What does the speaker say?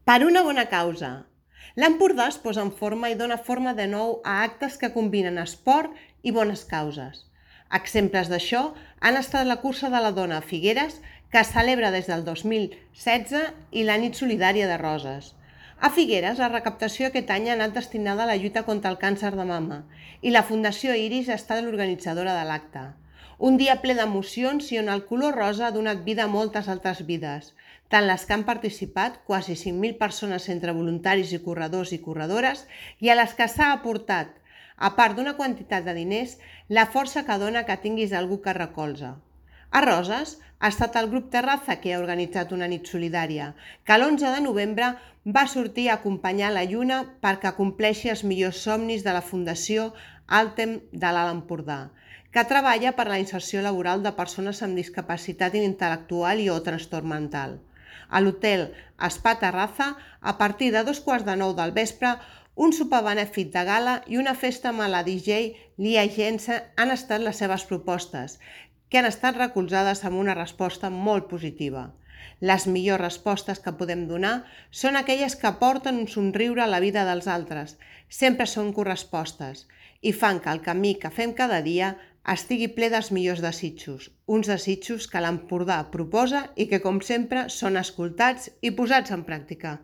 Per una bona causa. L'Empordà es posa en forma i dona forma de nou a actes que combinen esport i bones causes. Exemples d'això han estat la cursa de la dona a Figueres, que es celebra des del 2016, i la nit solidària de Roses. A Figueres, la recaptació aquest any ha anat destinada a la lluita contra el càncer de mama i la Fundació Iris ha estat l'organitzadora de l'acte. Un dia ple d'emocions i on el color rosa ha donat vida a moltes altres vides, tant les que han participat, quasi 5.000 persones entre voluntaris i corredors i corredores, i a les que s'ha aportat, a part d'una quantitat de diners, la força que dona que tinguis algú que recolza. A Roses ha estat el grup Terraza que ha organitzat una nit solidària, que l'11 de novembre va sortir a acompanyar la lluna perquè compleixi els millors somnis de la Fundació Altem de l'Alt Empordà, que treballa per la inserció laboral de persones amb discapacitat intel·lectual i o trastorn mental. A l'hotel Spa Terraza, a partir de 2:15 del vespre, un sopar benèfic de gala i una festa amb la DJ Lia Gense han estat les seves propostes, que han estat recolzades amb una resposta molt positiva. Les millors respostes que podem donar són aquelles que aporten un somriure a la vida dels altres, sempre són correspostes, i fan que el camí que fem cada dia estigui ple dels millors desitjos, uns desitjos que l'Empordà proposa i que, com sempre, són escoltats i posats en pràctica.